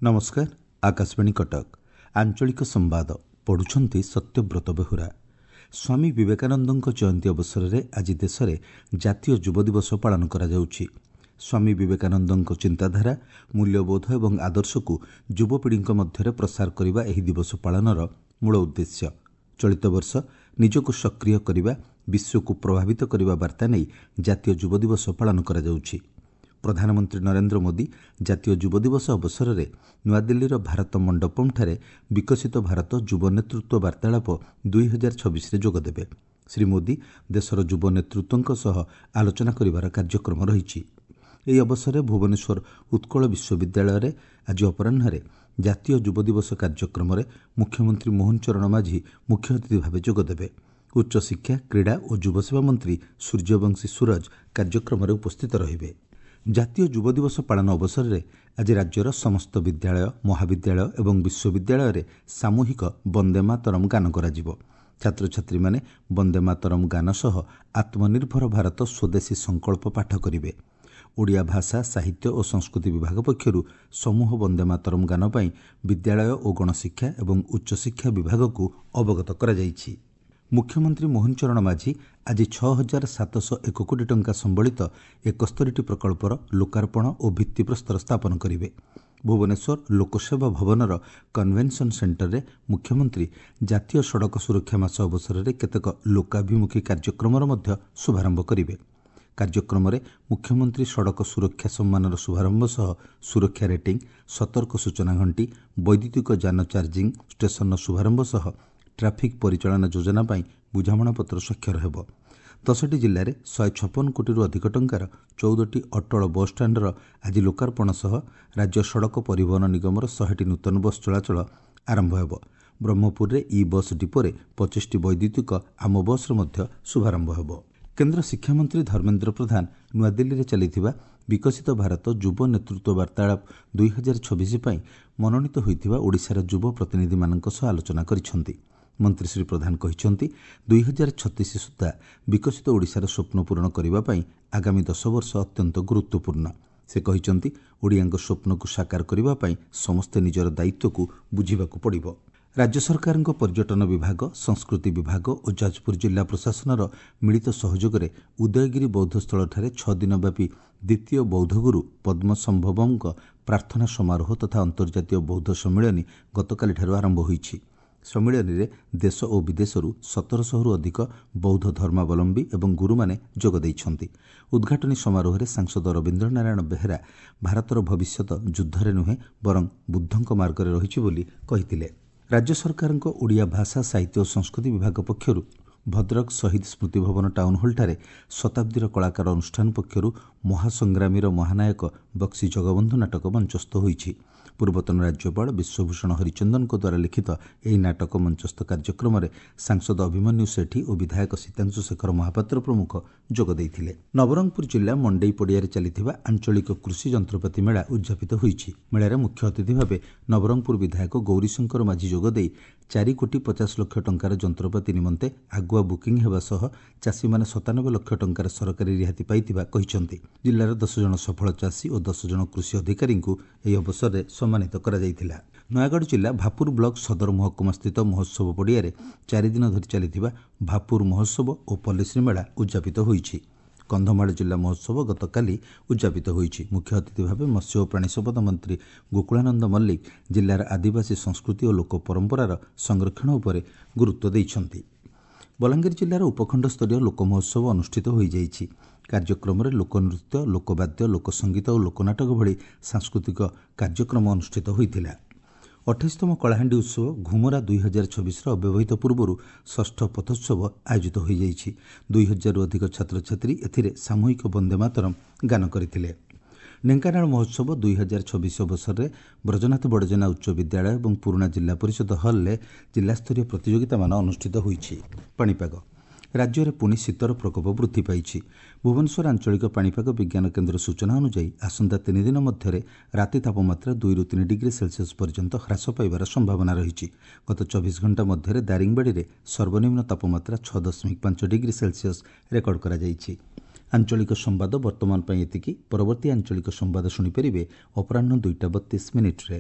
ନମସ୍କାର, ଆକାଶବାଣୀ କଟକ। ଆଞ୍ଚଳିକ ସମ୍ବାଦ ପଢ଼ୁଛନ୍ତି ସତ୍ୟବ୍ରତ ବେହୁରା। ସ୍ୱାମୀ ବିବେକାନନ୍ଦଙ୍କ ଜୟନ୍ତୀ ଅବସରରେ ଆଜି ଦେଶରେ ଜାତୀୟ ଯୁବ ଦିବସ ପାଳନ କରାଯାଉଛି। ସ୍ୱାମୀ ବିବେକାନନ୍ଦଙ୍କ ଚିନ୍ତାଧାରା, ମୂଲ୍ୟବୋଧ ଏବଂ ଆଦର୍ଶକୁ ଯୁବପିଢ଼ିଙ୍କ ମଧ୍ୟରେ ପ୍ରସାର କରିବା ଏହି ଦିବସ ପାଳନର ମୂଳ ଉଦ୍ଦେଶ୍ୟ। ଚଳିତ ବର୍ଷ ନିଜକୁ ସକ୍ରିୟ କରିବା, ବିଶ୍ୱକୁ ପ୍ରଭାବିତ କରିବା ବାର୍ତ୍ତା ନେଇ ଜାତୀୟ ଯୁବ ଦିବସ ପାଳନ କରାଯାଉଛି। ପ୍ରଧାନମନ୍ତ୍ରୀ ନରେନ୍ଦ୍ର ମୋଦି ଜାତୀୟ ଯୁବ ଦିବସ ଅବସରରେ ନୂଆଦିଲ୍ଲୀର ଭାରତ ମଣ୍ଡପମ୍ଠାରେ ବିକଶିତ ଭାରତ ଯୁବ ନେତୃତ୍ୱ ବାର୍ତ୍ତାଳାପ 2026ରେ ଯୋଗଦେବେ। ଶ୍ରୀ ମୋଦି ଦେଶର ଯୁବ ନେତୃତ୍ୱଙ୍କ ସହ ଆଲୋଚନା କରିବାର କାର୍ଯ୍ୟକ୍ରମ ରହିଛି। ଏହି ଅବସରରେ ଭୁବନେଶ୍ୱର ଉତ୍କଳ ବିଶ୍ୱବିଦ୍ୟାଳୟରେ ଆଜି ଅପରାହ୍ନରେ ଜାତୀୟ ଯୁବ ଦିବସ କାର୍ଯ୍ୟକ୍ରମରେ ମୁଖ୍ୟମନ୍ତ୍ରୀ ମୋହନ ଚରଣ ମାଝୀ ମୁଖ୍ୟ ଅତିଥି ଭାବେ ଯୋଗଦେବେ। ଉଚ୍ଚଶିକ୍ଷା, କ୍ରୀଡ଼ା ଓ ଯୁବସେବା ମନ୍ତ୍ରୀ ସୂର୍ଯ୍ୟବଂଶୀ ସୂରଜ କାର୍ଯ୍ୟକ୍ରମରେ ଉପସ୍ଥିତ ରହିବେ। ଜାତୀୟ ଯୁବ ଦିବସ ପାଳନ ଅବସରରେ ଆଜି ରାଜ୍ୟର ସମସ୍ତ ବିଦ୍ୟାଳୟ, ମହାବିଦ୍ୟାଳୟ ଏବଂ ବିଶ୍ୱବିଦ୍ୟାଳୟରେ ସାମୂହିକ ବନ୍ଦେ ମାତରମ୍ ଗାନ କରାଯିବ। ଛାତ୍ରଛାତ୍ରୀମାନେ ବନ୍ଦେ ମାତରମ୍ ଗାନ ସହ ଆତ୍ମନିର୍ଭର ଭାରତ ସ୍ୱଦେଶୀ ସଂକଳ୍ପ ପାଠ କରିବେ। ଓଡ଼ିଆ ଭାଷା, ସାହିତ୍ୟ ଓ ସଂସ୍କୃତି ବିଭାଗ ପକ୍ଷରୁ ସମୂହ ବନ୍ଦେ ମାତରମ୍ ଗାନ ପାଇଁ ବିଦ୍ୟାଳୟ ଓ ଗଣଶିକ୍ଷା ଏବଂ ଉଚ୍ଚଶିକ୍ଷା ବିଭାଗକୁ ଅବଗତ କରାଯାଇଛି। ମୁଖ୍ୟମନ୍ତ୍ରୀ ମୋହନ ଚରଣ ମାଝୀ ଆଜି 6701 କୋଟି ଟଙ୍କା ସମ୍ବଳିତ 71ଟି ପ୍ରକଳ୍ପର ଲୋକାର୍ପଣ ଓ ଭିତ୍ତିପ୍ରସ୍ତର ସ୍ଥାପନ କରିବେ। ଭୁବନେଶ୍ୱର ଲୋକସେବା ଭବନର କନଭେନସନ୍ ସେଣ୍ଟରରେ ମୁଖ୍ୟମନ୍ତ୍ରୀ ଜାତୀୟ ସଡ଼କ ସୁରକ୍ଷା ମାସ ଅବସରରେ କେତେକ ଲୋକାଭିମୁଖୀ କାର୍ଯ୍ୟକ୍ରମର ମଧ୍ୟ ଶୁଭାରମ୍ଭ କରିବେ। କାର୍ଯ୍ୟକ୍ରମରେ ମୁଖ୍ୟମନ୍ତ୍ରୀ ସଡ଼କ ସୁରକ୍ଷା ସମ୍ମାନର ଶୁଭାରମ୍ଭ ସହ ସୁରକ୍ଷା ରେଟିଂ, ସତର୍କ ସୂଚନା ଘଣ୍ଟି, ବୈଦ୍ୟୁତିକ ଯାନ ଚାର୍ଜିଂ ଷ୍ଟେସନର ଶୁଭାରମ୍ଭ ସହ ଟ୍ରାଫିକ୍ ପରିଚାଳନା ଯୋଜନା ପାଇଁ ବୁଝାମଣାପତ୍ର ସ୍ୱାକ୍ଷର ହେବ। 10ଟି ଜିଲ୍ଲାରେ 156 କୋଟିରୁ ଅଧିକ ଟଙ୍କାର 14ଟି ଅଟଳ ବସ୍ଷ୍ଟାଣ୍ଡର ଆଜି ଲୋକାର୍ପଣ ସହ ରାଜ୍ୟ ସଡ଼କ ପରିବହନ ନିଗମର 100ଟି ନୂତନ ବସ୍ ଚଳାଚଳ ଆରମ୍ଭ ହେବ। ବ୍ରହ୍ମପୁରରେ ଇ ବସ୍ ଡିପୋରେ 25ଟି ବୈଦ୍ୟୁତିକ ଆମ ବସ୍ର ମଧ୍ୟ ଶୁଭାରମ୍ଭ ହେବ। କେନ୍ଦ୍ର ଶିକ୍ଷାମନ୍ତ୍ରୀ ଧର୍ମେନ୍ଦ୍ର ପ୍ରଧାନ ନୂଆଦିଲ୍ଲୀରେ ଚାଲିଥିବା ବିକଶିତ ଭାରତ ଯୁବ ନେତୃତ୍ୱ ବାର୍ତ୍ତାଳାପ 2026 ପାଇଁ ମନୋନୀତ ହୋଇଥିବା ଓଡ଼ିଶାର ଯୁବ ପ୍ରତିନିଧିମାନଙ୍କ ସହ ଆଲୋଚନା କରିଛନ୍ତି। ମନ୍ତ୍ରୀ ଶ୍ରୀ ପ୍ରଧାନ କହିଛନ୍ତି, 2036 ସୁଦ୍ଧା ବିକଶିତ ଓଡ଼ିଶାର ସ୍ୱପ୍ନ ପୂରଣ କରିବା ପାଇଁ ଆଗାମୀ 10 ବର୍ଷ ଅତ୍ୟନ୍ତ ଗୁରୁତ୍ୱପୂର୍ଣ୍ଣ। ସେ କହିଛନ୍ତି, ଓଡ଼ିଆଙ୍କ ସ୍ୱପ୍ନକୁ ସାକାର କରିବା ପାଇଁ ସମସ୍ତେ ନିଜର ଦାୟିତ୍ୱକୁ ବୁଝିବାକୁ ପଡ଼ିବ। ରାଜ୍ୟ ସରକାରଙ୍କ ପର୍ଯ୍ୟଟନ ବିଭାଗ, ସଂସ୍କୃତି ବିଭାଗ ଓ ଯାଜପୁର ଜିଲ୍ଲା ପ୍ରଶାସନର ମିଳିତ ସହଯୋଗରେ ଉଦୟଗିରି ବୌଦ୍ଧସ୍ଥଳଠାରେ 6 ଦିନ ବ୍ୟାପୀ ଦ୍ୱିତୀୟ ବୌଦ୍ଧଗୁରୁ ପଦ୍ମସମ୍ଭବଙ୍କ ପ୍ରାର୍ଥନା ସମାରୋହ ତଥା ଅନ୍ତର୍ଜାତୀୟ ବୌଦ୍ଧ ସମ୍ମିଳନୀ ଗତକାଲିଠାରୁ ଆରମ୍ଭ ହୋଇଛି। ସମ୍ମିଳନୀରେ ଦେଶ ଓ ବିଦେଶରୁ 1700ରୁ ଅଧିକ ବୌଦ୍ଧ ଧର୍ମାବଲମ୍ବୀ ଏବଂ ଗୁରୁମାନେ ଯୋଗ ଦେଇଛନ୍ତି। ଉଦ୍ଘାଟନୀ ସମାରୋହରେ ସାଂସଦ ରବୀନ୍ଦ୍ର ନାରାୟଣ ବେହେରା ଭାରତର ଭବିଷ୍ୟତ ଯୁଦ୍ଧରେ ନୁହେଁ ବରଂ ବୁଦ୍ଧଙ୍କ ମାର୍ଗରେ ରହିଛି ବୋଲି କହିଥିଲେ। ରାଜ୍ୟ ସରକାରଙ୍କ ଓଡ଼ିଆ ଭାଷା, ସାହିତ୍ୟ ଓ ସଂସ୍କୃତି ବିଭାଗ ପକ୍ଷରୁ ଭଦ୍ରକ ଶହୀଦ ସ୍ମୃତି ଭବନ ଟାଉନ୍ ହଲ୍ଠାରେ ଶତାବ୍ଦୀର କଳାକାର ଅନୁଷ୍ଠାନ ପକ୍ଷରୁ ମହାସଂଗ୍ରାମୀର ମହାନାୟକ ବକ୍ସି ଜଗବନ୍ଧୁ ନାଟକ ମଞ୍ଚସ୍ଥ ହୋଇଛି। ପୂର୍ବତନ ରାଜ୍ୟପାଳ ବିଶ୍ୱଭୂଷଣ ହରିଚନ୍ଦନଙ୍କ ଦ୍ୱାରା ଲିଖିତ ଏହି ନାଟକ ମଞ୍ଚସ୍ଥ କାର୍ଯ୍ୟକ୍ରମରେ ସାଂସଦ ଅଭିମନ୍ୟୁ ସେଠୀ ଓ ବିଧାୟକ ସୀତାଂଶୁ ଶେଖର ମହାପାତ୍ର ପ୍ରମୁଖ ଯୋଗ ଦେଇଥିଲେ। ନବରଙ୍ଗପୁର ଜିଲ୍ଲା ମଣ୍ଡେଇ ପଡ଼ିଆରେ ଚାଲିଥିବା ଆଞ୍ଚଳିକ କୃଷି ଯନ୍ତ୍ରପାତି ମେଳା ଉଦ୍ଯାପିତ ହୋଇଛି। ମେଳାରେ ମୁଖ୍ୟ ଅତିଥି ଭାବେ ନବରଙ୍ଗପୁର ବିଧାୟକ ଗୌରୀଶଙ୍କର ମାଝୀ ଯୋଗଦେଇ 4 କୋଟି 50 ଲକ୍ଷ ଟଙ୍କାର ଯନ୍ତ୍ରପାତି ନିମନ୍ତେ ଆଗୁଆ ବୁକିଂ ହେବା ସହ ଚାଷୀମାନେ 97 ଲକ୍ଷ ଟଙ୍କାର ସରକାରୀ ରିହାତି ପାଇଥିବା କହିଛନ୍ତି। ଜିଲ୍ଲାର 10 ଜଣ ସଫଳ ଚାଷୀ ଓ 10 ଜଣ କୃଷି ଅଧିକାରୀଙ୍କୁ ଏହି ଅବସରରେ ସମ୍ମାନିତ କରାଯାଇଥିଲା। ନୟାଗଡ଼ ଜିଲ୍ଲା ଭାପୁର ବ୍ଲକ ସଦର ମହକୁମାସ୍ଥିତ ମହୋତ୍ସବ ପଡ଼ିଆରେ 4 ଦିନ ଧରି ଚାଲିଥିବା ଭାପୁର ମହୋତ୍ସବ ଓ ପଲ୍ଲୀଶ୍ରୀ ମେଳା ଉଦ୍ଯାପିତ ହୋଇଛି। କନ୍ଧମାଳ ଜିଲ୍ଲା ମହୋତ୍ସବ ଗତକାଲି ଉଦ୍ଯାପିତ ହୋଇଛି। ମୁଖ୍ୟ ଅତିଥି ଭାବେ ମତ୍ସ୍ୟ ଓ ପ୍ରାଣୀ ସମ୍ପଦ ମନ୍ତ୍ରୀ ଗୋକୁଳାନନ୍ଦ ମଲ୍ଲିକ ଜିଲ୍ଲାର ଆଦିବାସୀ ସଂସ୍କୃତି ଓ ଲୋକ ପରମ୍ପରାର ସଂରକ୍ଷଣ ଉପରେ ଗୁରୁତ୍ୱ ଦେଇଛନ୍ତି। ବଲାଙ୍ଗୀର ଜିଲ୍ଲାର ଉପଖଣ୍ଡସ୍ତରୀୟ ଲୋକ ମହୋତ୍ସବ ଅନୁଷ୍ଠିତ ହୋଇଯାଇଛି। କାର୍ଯ୍ୟକ୍ରମରେ ଲୋକନୃତ୍ୟ, ଲୋକବାଦ୍ୟ, ଲୋକସଙ୍ଗୀତ ଓ ଲୋକନାଟକ ଭଳି ସାଂସ୍କୃତିକ କାର୍ଯ୍ୟକ୍ରମ ଅନୁଷ୍ଠିତ ହୋଇଥିଲା। 28ତମ କଳାହାଣ୍ଡି ଉତ୍ସବ ଘୁମରା 2026ର ଅବ୍ୟବହିତ ପୂର୍ବରୁ ଷଷ୍ଠ ପଥୋତ୍ସବ ଆୟୋଜିତ ହୋଇଯାଇଛି। 2000ରୁ ଅଧିକ ଛାତ୍ରଛାତ୍ରୀ ଏଥିରେ ସାମୂହିକ ବନ୍ଦେ ମାତରମ୍ ଗାନ କରିଥିଲେ। ଢେଙ୍କାନାଳ ମହୋତ୍ସବ 2026 ଅବସରରେ ବ୍ରଜନାଥ ବଡ଼ଜେନା ଉଚ୍ଚ ବିଦ୍ୟାଳୟ ଏବଂ ପୁରୁଣା ଜିଲ୍ଲା ପରିଷଦ ହଲ୍ରେ ଜିଲ୍ଲାସ୍ତରୀୟ ପ୍ରତିଯୋଗିତାମାନ ଅନୁଷ୍ଠିତ ହୋଇଛି। ପାଣିପାଗ ରାଜ୍ୟରେ ପୁଣି ଶୀତର ପ୍ରକୋପ ବୃଦ୍ଧି ପାଇଛି। ଭୁବନେଶ୍ୱର ଆଞ୍ଚଳିକ ପାଣିପାଗ ବିଜ୍ଞାନ କେନ୍ଦ୍ର ସୂଚନା ଅନୁଯାୟୀ ଆସନ୍ତା 3 ଦିନ ମଧ୍ୟରେ ରାତି ତାପମାତ୍ରା 2ରୁ 3 ଡିଗ୍ରୀ ସେଲସିୟସ୍ ପର୍ଯ୍ୟନ୍ତ ହ୍ରାସ ପାଇବାର ସମ୍ଭାବନା ରହିଛି। ଗତ 24 ଘଣ୍ଟା ମଧ୍ୟରେ ଦାରିଙ୍ଗବାଡ଼ିରେ ସର୍ବନିମ୍ନ ତାପମାତ୍ରା 6.5 ଡିଗ୍ରୀ ସେଲସିୟସ୍ ରେକର୍ଡ କରାଯାଇଛି। ଆଞ୍ଚଳିକ ସମ୍ବାଦ ବର୍ତ୍ତମାନ ପାଇଁ ଏତିକି। ପରବର୍ତ୍ତୀ ଆଞ୍ଚଳିକ ସମ୍ବାଦ ଶୁଣିପାରିବେ ଅପରାହ୍ନ 2ଟା 32 ମିନିଟ୍ରେ।